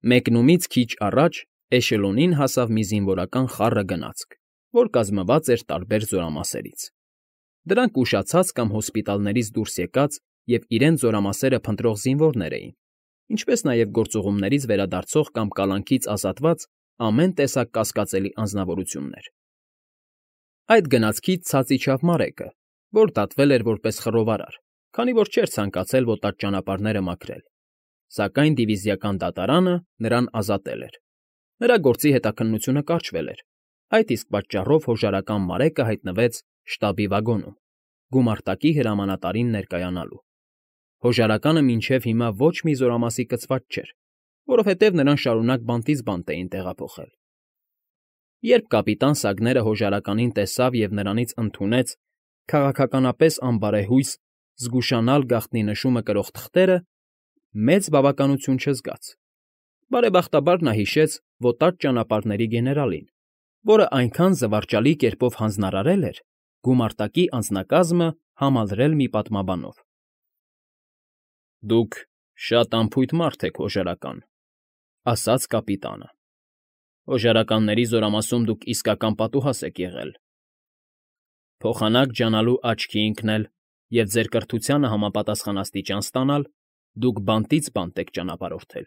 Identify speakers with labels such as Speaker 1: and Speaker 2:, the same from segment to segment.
Speaker 1: Մեկնումից քիչ առաջ էշելոնին հասավ մի զինվորական խառը գնացք, որ կազմված էր տարբեր զորամասերից. դրանք ուշացած կամ հոսպիտալներից դուրս եկած և իրենց զորամասերը փնտրող զինվորներ էին, ինչպես նաև գործուղումներից վերադարձող կամ կալանքից ազատված ամեն տեսակ կասկածելի անձնավորություններ։ Այդ գնացքից ցած իջավ Մարեկը, որ դատվել էր որպես խռովարար, քանի որ չէր ցանկացել ոտած ճանապարհները մաքրել, սակայն դիվիզիական դատարանը նրան ազատել էր։ Նրա գործի հետաքննությունը կարճվել էր, այդ իսկ պատճառով հոժարական Մարեկը հայտնվեց շտաբի վագոնում, գումարտակի հրամանատարին ներկայանալու։ Հոժարականը մինչև հիմա ոչ մի զորամասի կցված չէր, որովհետև նրան շարունակ բանտից բանտ էին տեղափոխել։ Երբ կապիտան Սագները հոժարականին տեսավ և նրանից ընդունեց քաղաքականապես անբարեհույս զգուշանալ գաղտնի նշումը կրող թղթերը, մեծ բավականություն չզգաց։ Բարեբախտաբար նա հիշեց ոտած ճանապարհների գեներալին, որը այնքան զվարճալի կերպով հանձնարարել էր գումարտակի անձնակազմը համալրել մի պատմաբանով։ «Դուք շատ անփույթ մարդ եք, հոժարական,֊ ասաց կապիտանը։ Հոժարականների զորամասում դուք իսկական պատուհաս եք եղել։ Փոխանակ ջանալու աչքի ընկնել և ձեր կրթությանը համապատասխան աստիճան ստանալ դուք բանտից բանտ եք ճանապարհորդել։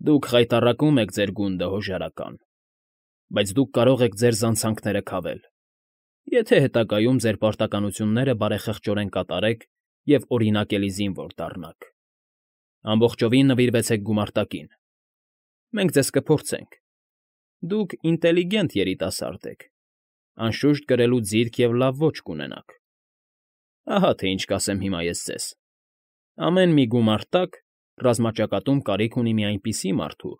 Speaker 1: Դուք խայտառակում եք ձեր գունդը, հոժարական, բայց դուք կարող եք ձեր զանցանքները քավել, եթե հետագայում ձեր պարտականությունները բարեխղճորեն կատարեք և օրինակելի զինվոր դառնաք։ Ամբողջովին նվիրվեցեք գումարտակին։ Մենք ձեզ կփորձենք։ Դուք ինտելիգենտ երիտասարդ եք, անշուշտ կրելու ձիրք և լավ ոճ կունենաք։ Ահա թե ինչ կասեմ հիմա ես ձեզ. ամեն մի գումարտակ ռազմաճակատում կարիք ունի մի այնպիսի մարդու,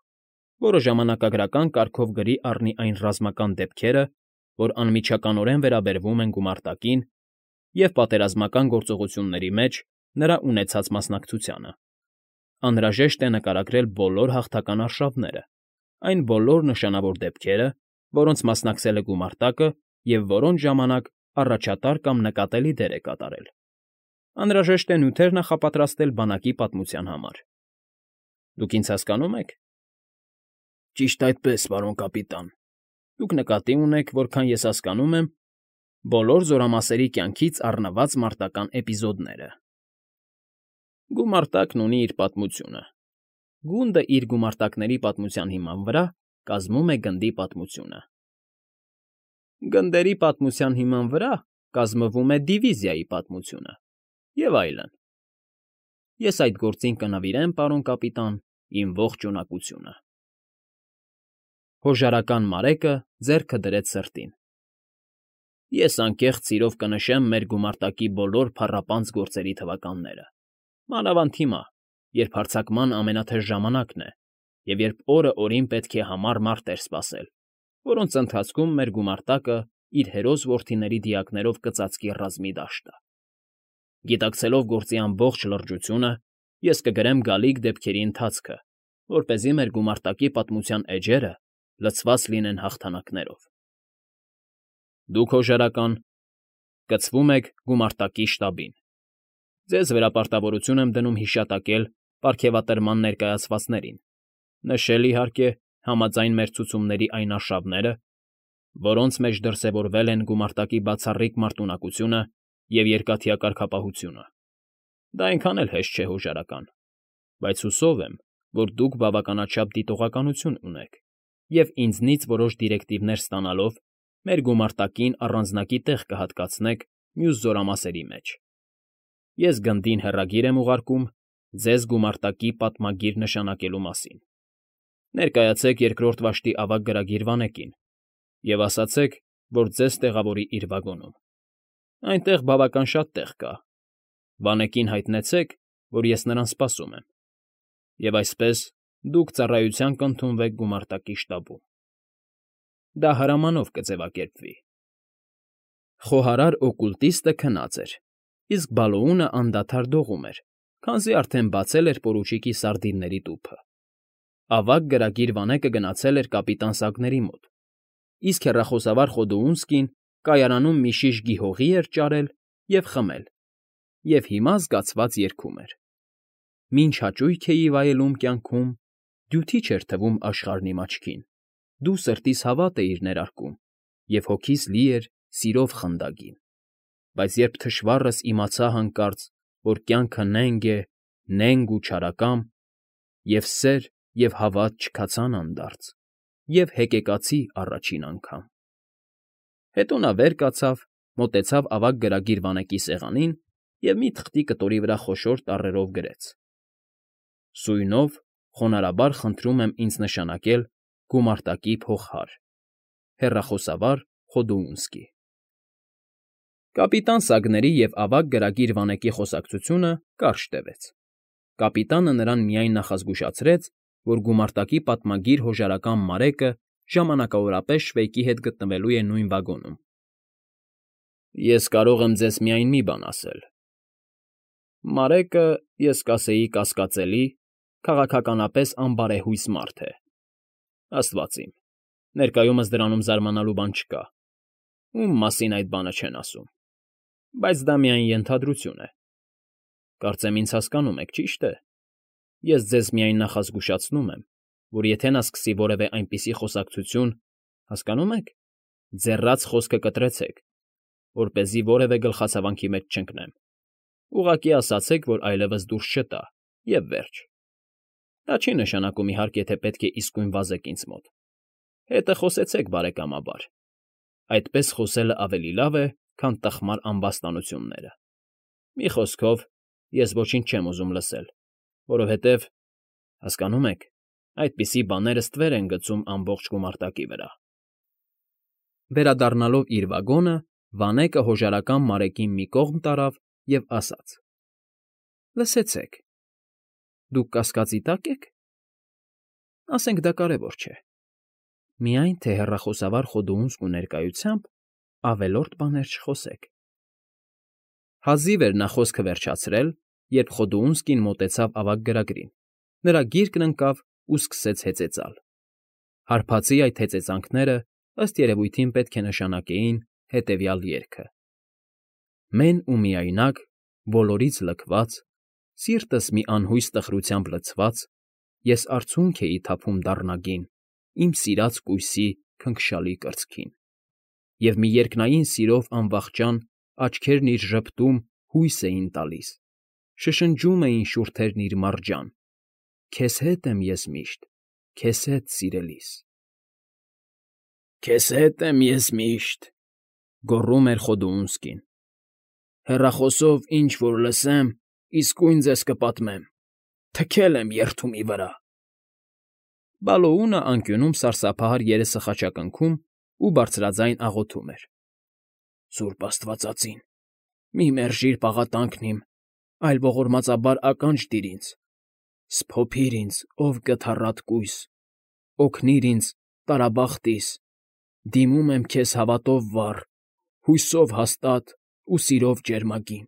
Speaker 1: որը ժամանակագրական կարգով գրի առնի այն ռազմական դեպքերը, որ անմիջականորեն վերաբերվում են գումարտակին և պատերազմական գործողությունների մեջ նրա ունեցած մասնակցությանը։ Անհրաժեշտ է նկարագրել բոլոր հաղթական արշավները, այն բոլոր նշանավոր դեպքերը, որոնց մասնակցել է գումարտակը և որոնց ժամանակ առաջատար կամ նկատելի դեր է կատարել։ Անհրաժեշտ է նյութեր նախապատրաստել բանակի պատմության համար։ Դուք ինձ հասկանո՞ւմ եք։ Ճիշտ այդպես, պարոն կապիտան։ Դուք նկատի ունեք, որքան ես հասկանում եմ, բոլոր զորամասերի կյանքից առնված մարտական էպիզոդները։ Գումարտակն ունի իր պատմությունը։ Գունդը իր գումարտակների պատմության հիման վրա կազմում է գնդի պատմությունը։ Գնդերի պատմության հիման վրա կազմվում է դիվիզիայի պատմությունը, և այլն։ Ես այդ գործին կնվիրեմ, պարոն կապիտան, իմ ողջ ունակությունը։ Հոժարական Մարեկը ձեռքը դրեց սրտին։ Ես անկեղծ սիրով կնշեմ մեր գումարտակի բոլոր փառապանծ գործերի թվականները, մանավանդ հիմա, երբ հարձակման ամենաթեժ ժամանակն է և երբ օրը օրին պետք է համառ մարտեր սպասել, որոնց ընթացքում մեր գումարտակը իր հերոս որդիների դիակներով կծածկի ռազմի դաշտը։ Գիտակցելով գործի ամբողջ լրջությունը, ես կգրեմ գալիք դեպքերի ընթացքը, որպեսզի մեր գումարտակի պատմության էջերը լցված լինեն հաղթանակներով։ Դուք, հոժարական, կցվում եք գումարտակի շտաբին։ Ձեզ վերապարտավորություն եմ դնում հիշատակել պարգևատրման ներկայացվածներին, նշել, իհարկե, համաձայն մեր ցուցումների այն արշավները, որոնց մեջ դրսևորվել են գումարտակի բացառիկ մարտունակությունը և երկաթյա կարգապահությունը։ Դա այնքան էլ հեշտ չէ, հոժարական, բայց հուսով եմ, որ դուք բավականաչափ դիտողականություն ունեք և ինձնից որոշ դիրեկտիվներ ստանալով մեր գումարտակին առանձնակի տեղ կհատկացնեք մյուս զորամասերի մեջ։ Ես գնդին հեռագիր եմ ուղարկում ձեզ գումարտակի պատմագիր նշանակելու մասին։ Ներկայացեք երկրորդ վաշտի ավագ գրագիր Վանեկին և ասացեք, որ ձեզ տեղավորի իր վագոնում։ Այնտեղ բավական շատ տեղ կա։ Վանեկին հայտնեցեք, որ ես նրան սպասում եմ։ Եվ այսպես դուք ծառայության կընդունվեք գումարտակի շտաբում։ Դա հրամանով կձևակերպվի։ Խոհարար օկուլտիստը քնած էր, իսկ Բալոունը անդադար դողում էր, քանզի արդեն բացել էր պորուչիկի սարդինների տուփը։ Ավագ գրագիր Վանեկը գնացել էր կապիտան Սագների մոտ, իսկ հեռախոսավար Խոդոունսկին կայարանում մի շիշ գիհողի էր ճարել և խմել, և հիմա զգացված երգում էր. Մինչ հաճույք էի վայելում կյանքում, դյութիչ էր թվում աշխարհն իմ աչքին, դու սրտիս հավատ էիր ներարկում, և հոգիս լի էր սիրով խնդագին, բայց երբ թշվառս իմացա հանկարծ, որ կյանքը նենգ է, նենգ ու չարակամ, և սեր և հավատ չքացան անդարձ, և հեկեկացի առաջին անգամ… Հետո նա վեր կացավ, մոտեցավ ավագ գրագիր վանեկի սեղանին և մի թղթի կտորի վրա խոշոր տառերով գրեց. Սույնով խոնարհաբար խնդրում եմ ինձ նշանակել գումարտակի փողհար. հեռախոսավար Խոդոունսկի… Կապիտան Սագների և ավագ գրագիր վանեկի խոսակցությունը կարճ տևեց. կապիտանը նրան միայն նախազգուշացրեց, որ գումարտակի պատմագիր հոժարական Մարեկը ժամանակավորապես Շվեյկի հետ գտնվելու է նույն վագոնում։ ֊ Ես կարող եմ ձեզ միայն մի բան ասել. Մարեկը, ես կասեի կասկածելի, քաղաքականապես անբարեհույս մարդ է, աստված իմ, ներկայումս դրանում զարմանալու բան չկա, ում մասին այդ բանը չեն ասում, բայց դա միայն ենթադրություն է, կարծեմ ինձ հասկանում եք, ճի՞շտ է, ես ձեզ միայն նախազգուշացնում եմ, որ եթե նա սկսի որևէ այնպիսի խոսակցություն, հասկանո՞ւմ եք, ձեռաց խոսքը կտրեցեք, որպեսզի որևէ գլխացավանքի մեջ չընկնեմ, ուղղակի ասացեք, որ այլևս դուրս չտա, և վերջ… Դա չի նշանակում, իհարկե, թե պետք է իսկույն վազեք ինձ մոտ, հետը խոսեցեք բարեկամաբար, այդպես խոսելը ավելի լավ է, քան տխմար ամբաստանությունները… Մի խոսքով, ես ոչինչ չեմ ուզում լսել, որովհետև, հասկանո՞ւմ եք, այդպիսի բաները ստվեր են գցում ամբողջ գումարտակի վրա… Վերադառնալով իր վագոնը, Վանեկը հոժարական Մարեկին մի կողմ տարավ և ասաց. Լսեցեք, դուք կասկածի տա՞կ եք… Ասենք դա կարևոր չէ, միայն թե հեռախոսավար Խոդոունսկու ներկայությամբ ավելորդ բաներ չխոսեք… Հազիվ էր նա խոսքը վերջացրել, երբ Խոդոունսկին մոտեցավ ավագ գրագրին, նրա գիրկն ընկավ ու սկսեց հեծեծալ… Հարբածի այդ հեծեծանքները, ըստ երևույթին, պետք է նշանակեին հետևյալ երգը. Մեն ու միայնակ, բոլորից լքված, սիրտս մի անհույս տխրությամբ լցված, ես արցունք էի թափում դառնագին իմ սիրած կույսի քնքշալի կրծքին, և մի երկնային սիրով անվախճան աչքերն իր ժպտում հույս էին տալիս, շշնջում էին շուրթերն իր մարջան. Քեզ հետ եմ ես միշտ, քեզ հետ, սիրելիս… Քեզ հետ եմ ես միշտ, գոռում էր Խոդոունսկին, հեռախոսով ինչ֊որ լսեմ, իսկույն ձեզ կպատմեմ, թքել եմ երդումի վրա… Բալոունը անկյունում սարսափահար երեսը խաչակնքում ու բարձրաձայն աղոթում էր. Սուրբ աստվածածին, մի մերժիր պաղատանքն իմ, այլ ողորմածաբար ականջ դիր ինձ, սփոփիր ինձ, ով կթառատ կույս, օգնիր ինձ, տարաբախտիս, դիմում եմ քեզ հավատով վառ, հույսով հաստատ ու սիրով ջերմագին,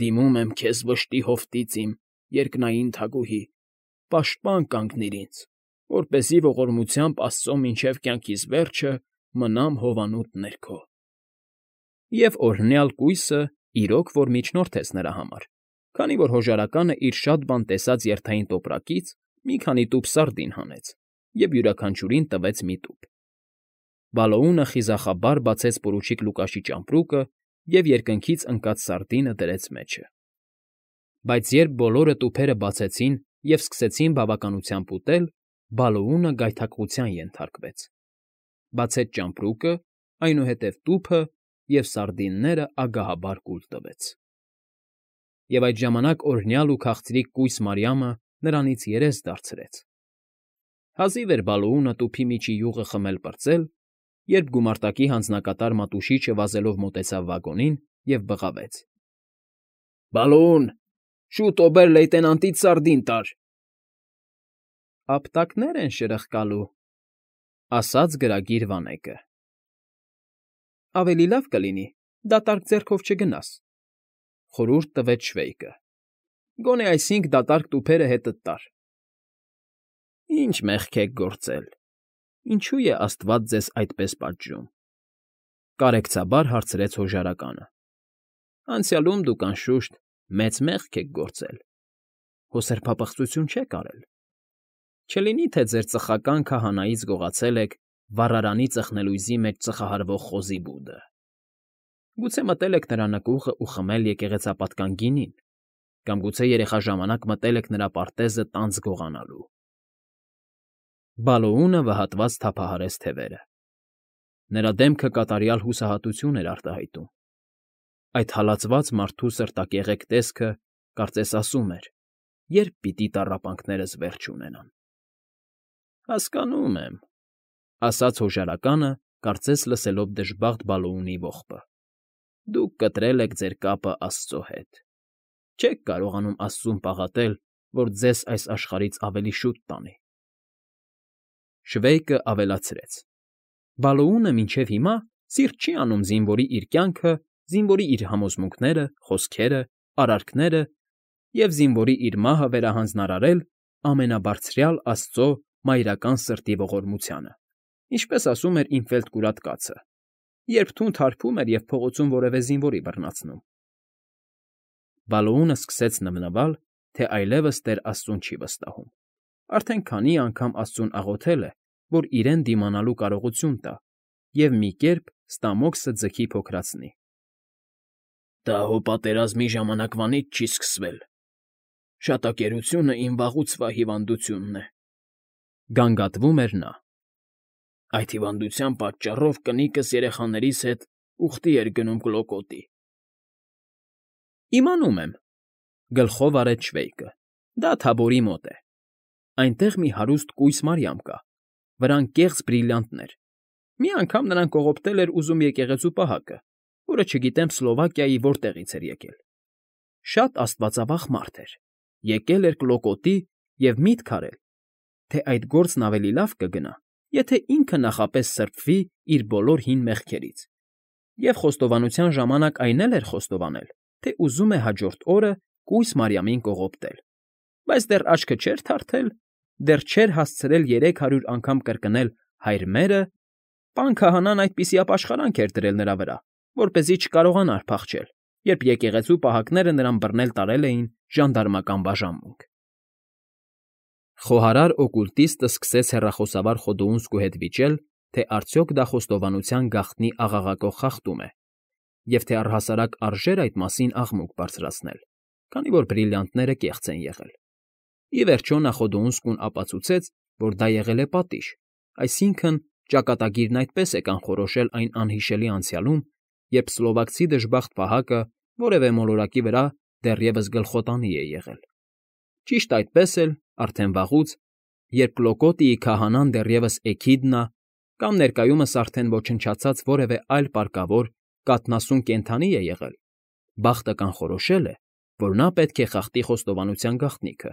Speaker 1: դիմում եմ քեզ վշտի հովտից իմ, երկնային թագուհի, պաշտպան կանգնիր ինձ, որպեսզի ողորմությամբ Աստծո մինչև կյանքիս վերջը մնամ հովանուտ ներքո… Եվ օրհնյալ կույսը իրոք որ միջնորդեց նրա համար, քանի որ հոժարականը իր շատ բան տեսած երթային տոպրակից մի քանի տուփ սարդին հանեց և յուրաքանչյուրին տվեց մի տուփ… Բալոունը խիզախաբար բացեց պորուչիկ Լուկաշի ճամպրուկը և երկնքից ընկած սարդինը դրեց մեջը… Բայց երբ բոլորը տուփերը բացեցին և սկսեցին բավականությամբ ուտել, Բալոունը գայթակղության ենթարկվեց, բացեց ճամպրուկը, այնուհետև տուփը և սարդինները ագահաբար կուլ տվեց… Եվ այդ ժամանակ օրհնյալ ու քաղցրիկ կույս Մարիամը նրանից երես դարձրեց… Հազիվ էր Բալոունը տուփի միջի յուղը խմել֊պրծել, երբ գումարտակի հանձնակատար Մատուշիչը վազելով մոտեցավ վագոնին և բղավեց. Բալոուն, շուտ օբեր֊լեյտենանտից սարդին տար… Ապտակներ են շրխկալու, ասաց գրագիր Վանեկը… Ավելի լավ կլինի դատարկ ձեռքով չգնաս, խորհուրդ տվեց Շվեյկը, գոնե այսինք դատարկ տուփերը հետդ տար… Ինչ մեղք եք գործել, ինչո՞ւ է աստված ձեզ այդպես պատժում, կարեկցաբար հարցրեց հոժարականը… Անցյալում դուք, անշուշտ, մեծ մեղք եք գործել, հո սրբապղծություն չեք արել… Չլինի թե ձեր ծխական քահանայից գողացել եք վառարանի ծխնելույզի մեջ ծխահարվող խոզի բուդը։ Գուցե մտել եք նրա նկուղը ու խմել եկեղեցապատկան գինին, կամ գուցե երեխա ժամանակ մտել եք նրա պարտեզը տանձ գողանալու։ Բալոունը վհատված թափահարեց թևերը։ Նրա դեմքը կատարյալ հուսահատություն էր արտահայտում։ Այդ հալածված մարդու սրտակեղեկ տեսքը, կարծես ասում էր. երբ պիտի տառապանքներս վերջ ունենան։ Հասկանում եմ, ասաց հոժարականը, կարծես լսելով դժբախտ Բալոունի ողբը։ Դուք կտրել եք ձեր կապը աստծո հետ։ Չեք կարողանում աստծուն պաղատել, որ ձեզ այս աշխարհից ավելի շուտ տանի։ Շվեյկը ավելացրեց. Բալոունը մինչև հիմա սիրտ չի անում զինվորի իր կյանքը, զինվորի իր համոզմունքները, խոսքերը, արարքները և զինվորի իր մահը վերահանձնարարել ամենաբարձրյալ Աստծո մայրական սրտի ողորմությանը, ինչպես ասում էր իմ ֆելդկուրատ կացը, երբ թունդ հարբում էր և փողոցում որևէ զինվորի բռնացնում։ Բալոունը սկսեց նվնվալ, թե այլևս Տեր Աստծուն չի վստահում, արդեն քանի անգամ Աստծուն աղոթել է, որ իրեն դիմանալու կարողություն տա և մի կերպ ստամոքսը ձգի փոքրացնի։ Դա հո պատերազմի ժամանակվանից չի սկսվել։ Շատակերությունը իմ վաղուցվա հիվանդությունն է, գանգատվում էր նա։ Այդ հիվանդության պատճառով կնիկս երեխաներիս հետ ուխտի էր գնում Կլոկոտի։ Իմանում եմ, գլխով արեց Շվեյկը, դա Թաբորի մոտ է։ Այնտեղ մի հարուստ կույս Մարիամ կա, վրան կեղծ բրիլյանտներ։ Մի անգամ նրան կողոպտել էր ուզում եկեղեցու պահակը, որը չգիտեմ Սլովակիայի որտեղից էր եկել։ Շատ աստվածավախ մարդ էր, եկել էր Կլոկոտի և միտք արել, թե այդ գործն ավելի լավ կգնա, եթե ինքը նախապես սրբվի իր բոլոր հին մեղքերից։ Եվ խոստովանության ժամանակ այն էլ էր խոստովանել, թե ուզում է հաջորդ օրը կույս Մարիամին կողոպտել, բայց դեռ աչքը չէր թարթել, դեռ չէր հասցրել 300 անգամ կրկնել «Հայր մերը», պան քահանան այդպիսի ապաշխարանք էր դրել նրա վրա, որպեսզի չկարողանար փախչել, երբ եկեղեցու պահակները նրան բռնել տարել էին ժանդարմական բաժանմունք։ Խոհարար օկուլտիստը սկսեց հեռախոսավար Խոդոունսկու հետ վիճել, թե արդյոք դա խոստովանության գաղտնի աղաղակող խախտում է, և թե առհասարակ արժե՞ր այդ մասին աղմուկ բարձրացնել, քանի որ բրիլյանտները կեղծ են եղել։ Ի վերջո նա Խոդոունսկուն ապացուցեց, որ դա եղել է պատիժ, այսինքն՝ ճակատագիրն այդպես է կանխորոշել այն անհիշելի անցյալում, երբ սլովակցի դժբախտ պահակը որևէ մոլորակի վրա դեռևս գլխոտանի է եղել։ Ճիշտ այդպես էլ, արդեն վաղուց, երբ Կլոկոտիի քահանան դեռևս Էքիդնա կամ ներկայումս արդեն ոչնչացած որևէ այլ պարկավոր կաթնասուն կենդանի է եղել, բախտը կանխորոշել է, որ նա պետք է խախտի խոստովանության գաղտնիքը,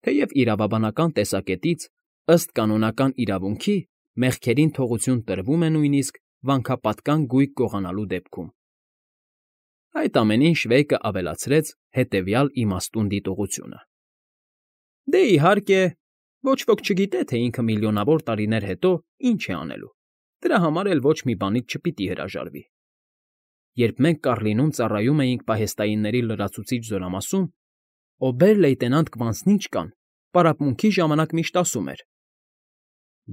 Speaker 1: թեև իրավաբանական տեսակետից, ըստ կանոնական իրավունքի, մեղքերին թողություն տրվում է նույնիսկ վանքապատկան գույք գողանալու դեպքում։ Այդ ամենին Շվեյկը ավելացրեց հետևյալ իմաստուն դիտողությունը. Դե, իհարկե, ոչ ոք չգիտե, թե ինքը միլիոնավոր տարիներ հետո ինչ է անելու, դրա համար էլ ոչ մի բանից չպիտի հրաժարվի։ Երբ մենք Կառլինում ծառայում էինք պահեստայինների լրացուցիչ զորամասում, օբեր֊լեյտենանտ Կվանցնիչկան պարապմունքի ժամանակ միշտ ասում էր.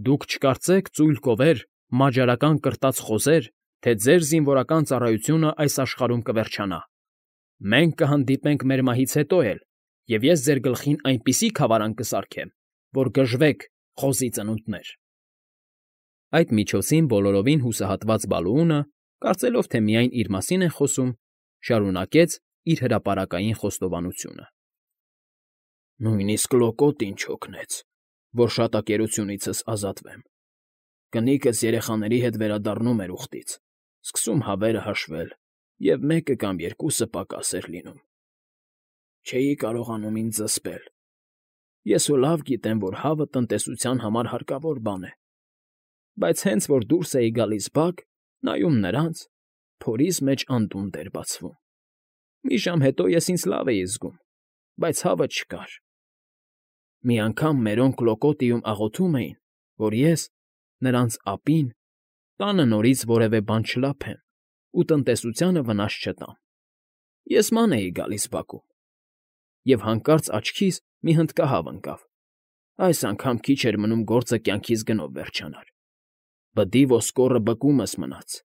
Speaker 1: «Դուք չկարծեք, ծույլ կովեր, մաջարական կրտած խոզեր, թե ձեր զինվորական ծառայությունը այս աշխարհում կվերջանա։ Մենք կհանդիպենք մեր մահից հետո էլ, և ես ձեր գլխին այնպիսի քավարան կսարքեմ, որ գժվեք, խոզի ծնունդներ»։ Այդ միջոցին բոլորովին հուսահատված Բալոունը, կարծելով, թե միայն իր մասին են խոսում, շարունակեց իր հրապարակային խոստովանությունը. Նույնիսկ Լոկոտին չօգնեց, որ շատակերությունիցս ազատվեմ։ Կնիկս երեխաների հետ վերադառնում էր ուխտից, սկսում հավերը հաշվել, և մեկը կամ երկուսը պակաս էր լինում։ Չէի կարողանում ինձ զսպել։ Ես հո լավ գիտեմ, որ հավը տնտեսության համար հարկավոր բան է, բայց հենց որ դուրս էի գալիս բակ, նայում նրանց, փորիս մեջ անդունդը էր բացվում։ Մի ժամ հետո ես ինձ լավ էի զգում, բայց հավը չկար։ Մի անգամ մերոնք Կլոկոտիում աղոթում էին, որ ես, նրանց ապին, տանը նորից որևէ բան չլափեմ ու տնտեսությանը վնաս չտամ։ Ես ման էի գալիս բակում, և հանկարծ աչքիս մի հնդկահավ ընկավ։ Այս անգամ քիչ էր մնում գործը կյանքիս գնով վերջանար։ Բդի ոսկորը բկումս մնաց,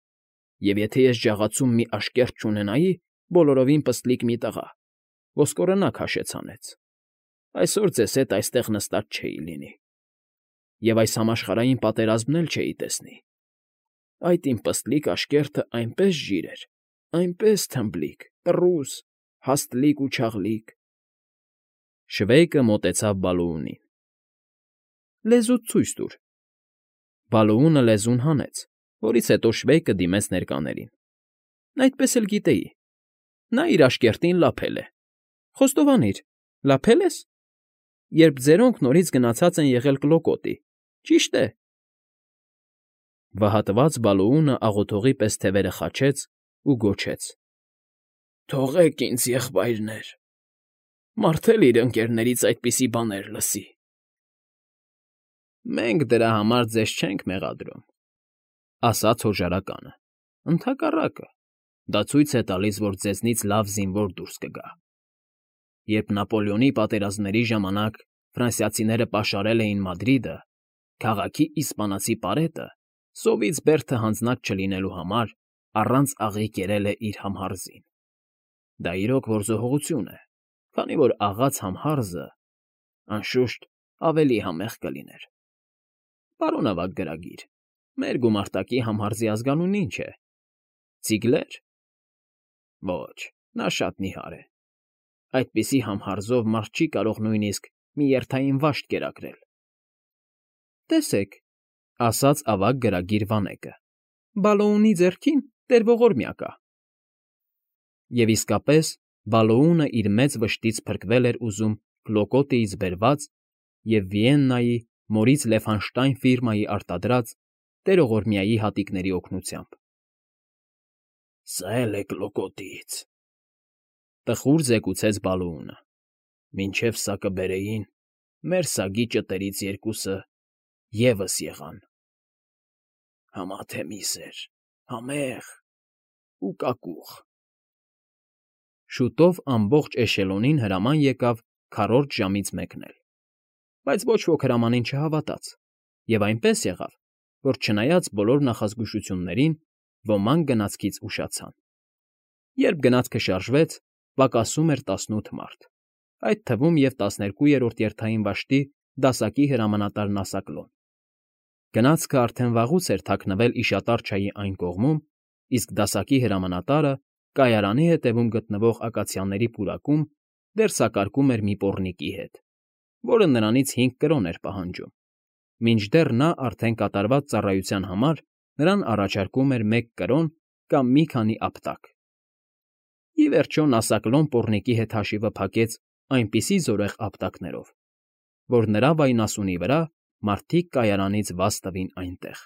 Speaker 1: և եթե ես ջաղացում մի աշկերտ չունենայի, բոլորովին պստլիկ մի տղա, ոսկորը նա քաշեց հանեց, այսօր ձեզ հետ այստեղ նստած չէի լինի, և այս համաշխարհային պատերազմն էլ չէի տեսնի։ Այդ իմ պստլիկ աշկերտը այնպես ժիր էր, այնպես թմբլիկ, տռուս, հաստլիկ ու չաղլիկ… Շվեյկը մոտեցավ Բալուունին։ Լեզուդ ցույց տուր։ Բալուունը լեզուն հանեց, որից հետո Շվեյկը դիմեց ներկաներին։ Այդպես էլ գիտեի։ Նա իր աշկերտին լափել է։ Խոստովանիր, լափե՞լ ես, երբ ձերոնք նորից գնացած են եղել Կլոկոտի, ճի՞շտ է։ Վհատված Բալուունը աղոթողի պես թևերը խաչեց ու գոչեց. Թողեք ինձ, եղբայրներ, մարդ էլ իր ընկերներից այդպիսի բաներ լսի։ Մենք դրա համար ձեզ չենք մեղադրում, ասաց հոժարականը, ընդհակառակը, դա ցույց է տալիս, որ ձեզնից լավ զինվոր դուրս կգա։ Երբ Նապոլեոնի պատերազմների ժամանակ ֆրանսիացիները պաշարել էին Մադրիդը, քաղաքի իսպանացի պարետը, սովից բերդը հանձնած չլինելու համար, առանց աղի կերել է իր համհարզին։ Դա իրոք որզողություն է, քանի որ աղաց համհարզը, անշուշտ, ավելի համեղ կլիներ։ Պարոն ավագ գրագիր, մեր գումարտակի համհարզի ազգանունն ի՞նչ է։ Ցիգլեր։ Ոչ, նա շատ նիհար է։ Այդպիսի համհարզով մարդ չի կարող նույնիսկ մի երթային վաշտ կերակրել։ Տեսեք, ասաց ավագ գրագիր Վանեկը, Բալոունի ձեռքին տեր ողորմյա կա։ Եվ իսկապես Բալոունը իր մեծ վշտից փրկվել էր ուզում Կլոկոտիից բերված և Վիեննայի Մորից Լեֆանշտայն ֆիրմայի արտադրած տերողորմյայի հատիկների օգնությամբ։ Սա էլ է Կլոկոտիից, տխուր զեկուցեց Բալոունը։ Մինչև սա կբերեին, մեր սագի ճտերից երկուսը ևս եղան։ Համաթեմիս էր, համեղ ու կակուղ։ Շուտով ամբողջ էշելոնին հրաման եկավ քառորդ ժամից մեկնել, բայց ոչ ոք հրամանին չհավատաց, և այնպես եղավ, որ չնայած բոլոր նախազգուշություններին, ոմանք գնացքից ուշացան։ Երբ գնացքը շարժվեց, պակասում էր 18 մարդ, այդ թվում և 12-րդ երթային վաշտի դասակի հրամանատար Նասակլոն։ Գնացքը արդեն վաղուց էր թաքնվել Իշատարչայի այն կողմում, իսկ դասակի հրամանատարը կայարանի ետևում գտնվող ակացիաների պուրակում դեռ սակարկում էր մի պոռնիկի հետ, որը նրանից 5 կրոն էր պահանջում, մինչդեռ նա արդեն կատարված ծառայության համար նրան առաջարկում էր 1 կրոն կամ մի քանի ապտակ։ Ի վերջո Նասակլոն պոռնիկի հետ հաշիվը փակեց այնպիսի զորեղ ապտակներով, որ նրա վայնասունի վրա մարդիկ կայարանից վազ տվին այնտեղ։